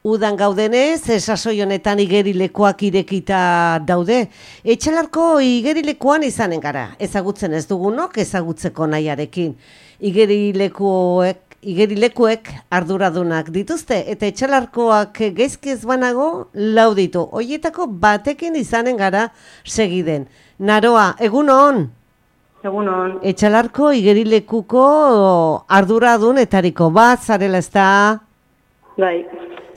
Udan gaudenez, sasoi honetan igerilekoak irekita daude. Etxalarko igerilekoan izanen gara, ezagutzen ez dugunok, ezagutzeko nahiarekin. Igerilekuek arduradunak dituzte, eta etxalarkoak gaizki ez banago lau ditu. Hoietako batekin izanen gara segiden. Naroa, egunon? Egunon. Etxalarko igerilekuko arduradunetariko bat, zarela ez da? Bai.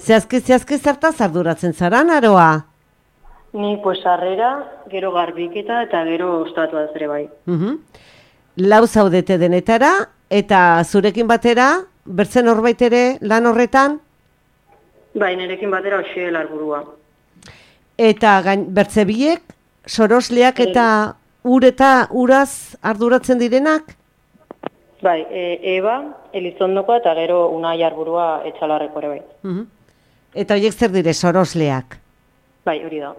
Zehazki zertaz arduratzen zara, Naroa? Ni sarrera, gero garbiketa eta gero ostatua ere bai. Lau zaudete denetara, eta zurekin batera, bertzen horbait ere lan horretan? Bai, nirekin batera hoxe larburua. Eta bertze biek, sorosleak eta uraz arduratzen direnak? Bai, Eba, Elizondokoa eta gero Unai arburua Etxalarreko ere bai. Eta horiek zer dire, sorosleak? Bai, hori da.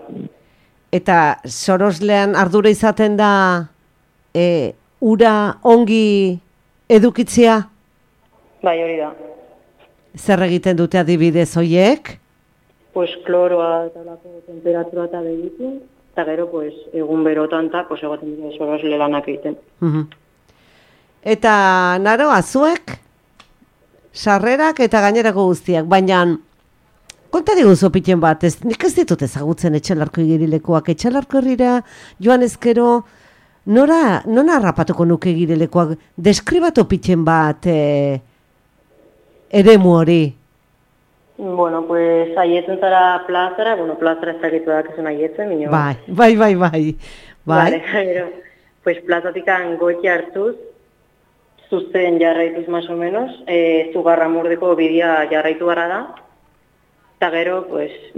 Eta soroslean ardura izaten da ura ongi edukitzea? Bai, hori da. Zer egiten dute adibidez horiek? Kloroa eta lako temperatura eta begitu, eta gero egun berotan eta egoten dira sorosle lanak egiten. Eta Naroa, zuek? Sarrerak eta gainerako guztiak, baina konta diguzu piten bat, nik ez ditut ezagutzen Etxalarko igerilekoak. Etxalarko herrira joan ezkero, non harrapatuko nuke igerilekoak? Deskribatu piten bat eremu hori. Bueno, aietzen zara plazara, plazara ez dakitu dakezen aietzen, minio. Bai. Vale, gero, plazatikan goiti hartuz, zuzten jarraituz más o menos, Zugarramurdeko bidea jarraitu gara da, eta gero,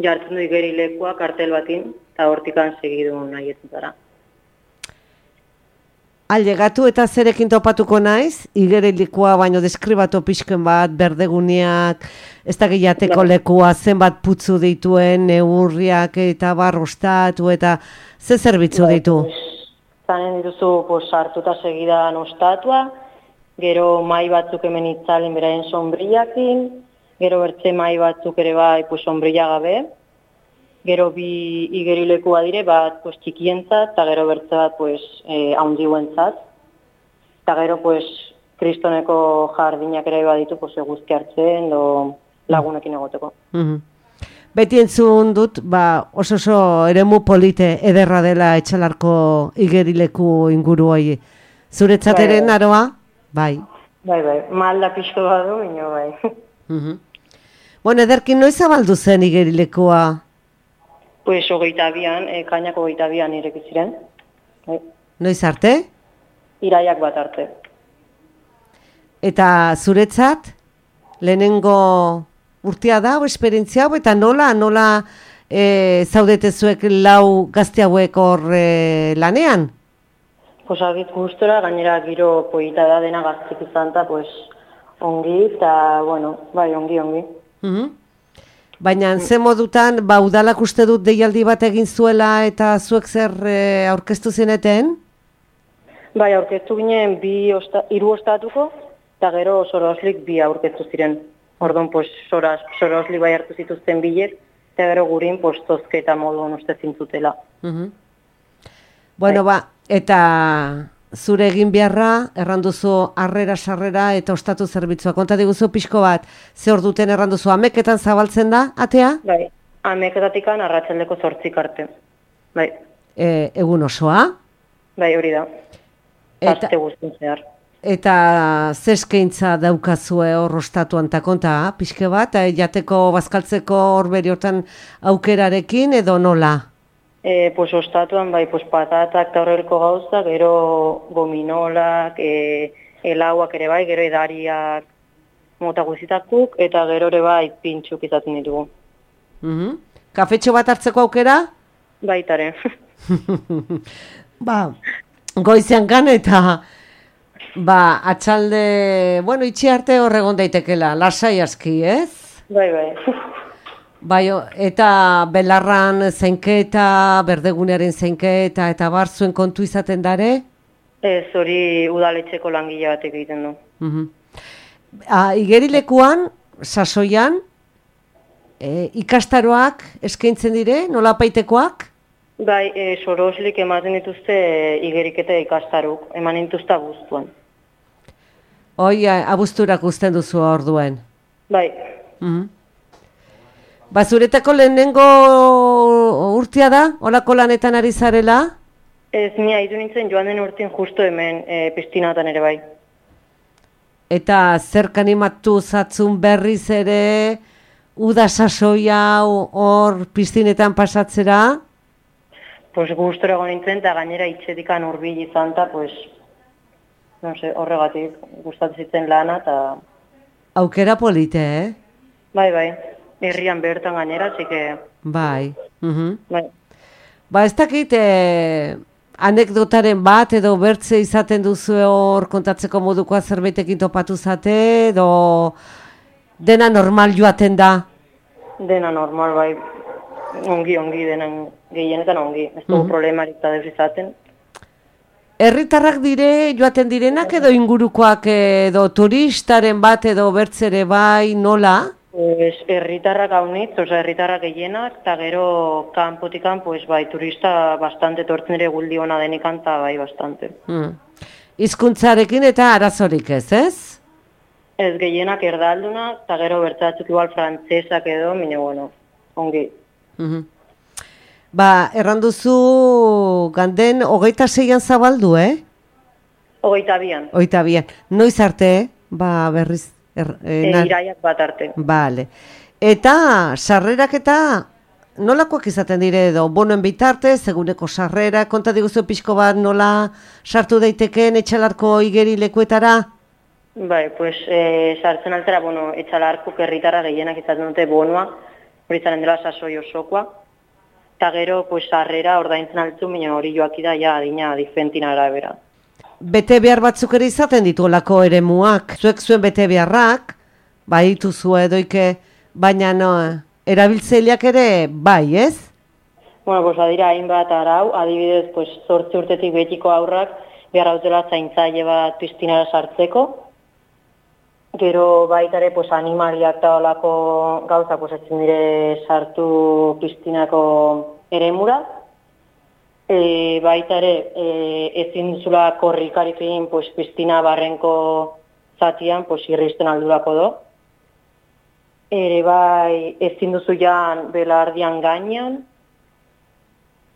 jartzen du igerilekoa kartel batin, eta hortikan segidun aietzen zara. Ailegatu eta zerekin topatuko naiz, igerilekoa baino deskribatu pixken bat, berdeguneak, ez da gehiateko lekua, zenbat putzu dituen, neurriak eta barrostatu, eta ze zerbitzu ditu? Zanen dituzu, sartuta segidan ostatua, gero mai batzuk hemen itzalen beraien sombriakin, gero bertze mai batzuk ere bai sombrilla gabe, gero bi igerilekua dire bat txikientzat, eta gero bertze bat haundiuentzat, eta gero kristoneko jardinak ere baditu eguzki hartzen, lagunekin egoteko. Beti entzun dut, oso eremu polite ederra dela Etxalarko igerileku inguru hori. Zuretzat ere, Naroa? Bai. Bai, malda pixko badu, ino bai. Bueno, ederkin noiz zabaldu zen igerilekoa? 22an, kainako 22an ireki ziren. Noiz arte? Iraiak bat arte. Eta zuretzat, lehenengo urtea da, esperientzia hau, eta nola zaudete zuek lau gazte hauek hor lanean? Agit gustora, gainera giro poita da dena gaztik izan eta ongi, eta ongi. Baina ze modutan, udalak uste dut deialdi bat egin zuela eta zuek zer aurkeztu zineten? Bai, aurkeztu ginen 3 ostatuko, eta gero soroslik 2 aurkeztu ziren. Orduan, soroslik bai hartu zituzten bilek, eta gero gurin tozketa moduan uste zintzutela. Bueno, eta zure egin beharra, erranduzu sarrera eta ostatu zerbitzua. Konta diguzu pixko bat, ze hor duten erranduzu, ameketan zabaltzen da, atea? Bai, ameketatikan arratsaldeko 8 arte. Bai. Egun osoa? Bai, hori da. Aste guztien zehar. Eta zeskaintza daukazue hor ostatuan eta konta, pixke bat, jateko, bazkaltzeko hor beri hortan aukerarekin edo nola? Ostatuan, patatak eta horrelko gauza, gero gominolak, helauak ere bai, gero edariak mota guzitakuk, eta gero ere bai pintxuk izaten ditugu. Kafetxo bat hartzeko aukera? Baitaren. Goizean gan eta atxalde, itxi arte horregon daitekela, lasai aski, ez? Bai. Eta belarran zeinketa, berdegunearen zeinketa, eta zuen kontu izaten dare? Ez, hori udaletxeko langile batek egiten du. Igerilekuan, sasoian, ikastaroak eskaintzen dire, nola paitekoak? Bai, soroslik ematen dituzte igeriketa ikastaruk, eman dituzta guztuan. Hoi, abuzturak uzten duzu orduen. Bai. Ba, zuretako lehenengo urtea da, olako lanetan ari zarela? Ez, ni haitu nintzen joan den urtin justo hemen piztinatan ere bai. Eta zerk animatu zatzun berriz ere, uda sasoia hor piztinetan pasatzera? Pues gustora egon nintzen, eta gainera itxetikan hurbil izan, eta pues, no sé, horregatik gustatzen zitzen lana, eta... Aukera polite, Bai, herrian bertan gainera, txike... Bai. Bai. Ba, ez dakit, anekdotaren bat edo bertze izaten duzu hor kontatzeko modukoa zerbaitekin topatu zate, edo dena normal joaten da? Dena normal, bai. Ongi, denen gehienetan ongi. Ez dugu problemarik da deus izaten. Herritarrak dire, joaten direnak edo ingurukoak edo turistaren bat edo bertzere bai nola? Herritarrak haunitz, herritarrak gehienak, eta gero kanpotikan, pues bai, turista bastante tortzen ere guldi hona denikan, eta bai, bastante. Hizkuntzarekin eta arazorik ez? Ez gehienak erdalduna, eta gero bertzatzuk igual frantzesak edo, mine bueno, ongi. Ba, erranduzu ganden 26an zabaldu, 22an. 22an. Noiz arte, ba, berriz? Iraiak bat arte. Bale. Eta sarrerak eta nolakoak izaten dire edo bonoen bitartez, eguneko sarrera, konta diguzu pixko bat nola sartu daitekeen etxalarko igeri lekuetara? Bai, pues sartzen altera, etxalarko herritarra gehienak izaten dute bonoa, hori zaren dela sasoi osokoa, eta gero, pues sarrera ordaintzen altzu, mina hori joaki da, ja, adina difentin arabera. Bete behar batzuk ere izaten ditu olako eremuak. Zuek zuen bete beharrak, bai dituzu edoike, baina erabiltzaileak ere bai, ez? Pues adira hainbat arau, adibidez, 8 urtetik betiko aurrak behar hautela zaintzaile bat piztinara sartzeko. Gero baitare animaliak eta olako gauza ezin dire sartu piztinako eremura. Baita ere, ezin duzula korrikarik egin piztina barrenko zatian, irristen aldurako do. Ere bai, ezin duzu jan belardian gainean,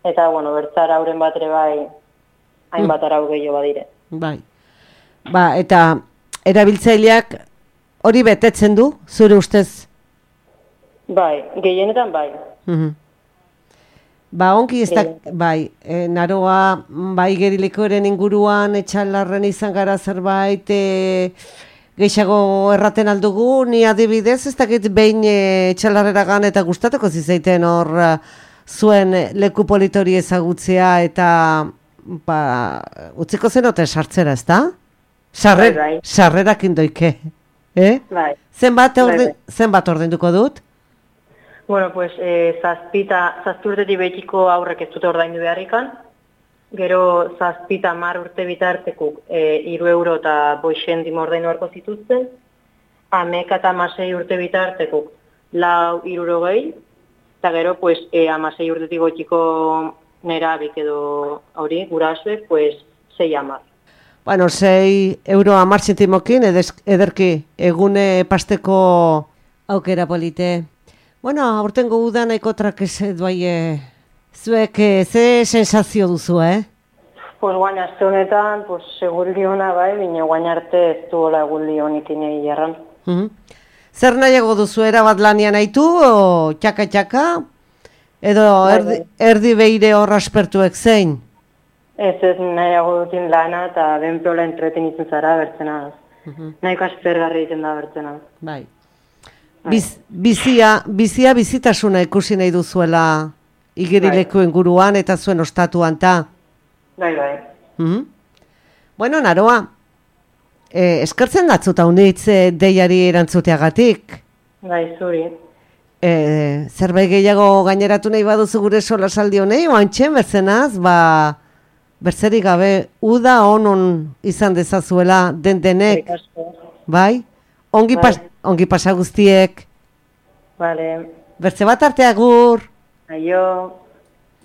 eta, bertzara hauren bat ere bai, hainbat arau gehiago badire. Bai. Ba, eta erabiltzaileak hori betetzen du, zure ustez? Bai, gehienetan bai. Ba, ongi ez da, bai, naroa, bai gerilekoaren inguruan, etxalarren izan gara zerbait, gehiago erraten aldugu, ni adibidez, ez dakit behin etxalarreragan eta gustatuko zizaiten hor zuen leku politori ezagutzea eta, ba, utziko zenote sartzera, ez da? Sarrerakin doike, Bai. Zenbat ordainduko dut? Pues zazpi urtetik betiko aurrek ez dute ordaindu beharrikan, gero 7-10 urte bitartekuk 3 euro eta 5 zentimo ordaindu beharko zituzten, 11 eta 16 urte bitartekuk 4,60, eta gero 16 urtetik betiko nerabik edo hori gurasuek 6,10. 6 euro 10 zentimokin ederki egune pasteko aukera polite. Aurtengo uda nahiko trakese duai, zuek ze sensazio duzu, Guain aste honetan, segurri hona bai, bine guain arte ez duela eguldi honikin egi jarran. Zer nahiago duzu, erabat lanian haitu, o txaka-txaka, edo erdi beire hor aspertuek zein? Ez nahiago dutin lana eta benprola entreten izan zara bertzenaz. Nahiko aspergarri egiten da bertzenaz. Bai. Bizitasuna ikusi nahi duzuela igerileku inguruan eta zuen ostatuan ta. Bai. Naroa, eskertzen datzuta unitz deiari erantzuteagatik. Bai, zuri. Zerbait gehiago gaineratu nahi baduzu gure solasaldi honei, oantxe, berzenaz, berzerik gabe, uda onon izan dezazuela den denek. Bai? Ongi pasa guztiek. Vale, Bertze bat arte agur. aio.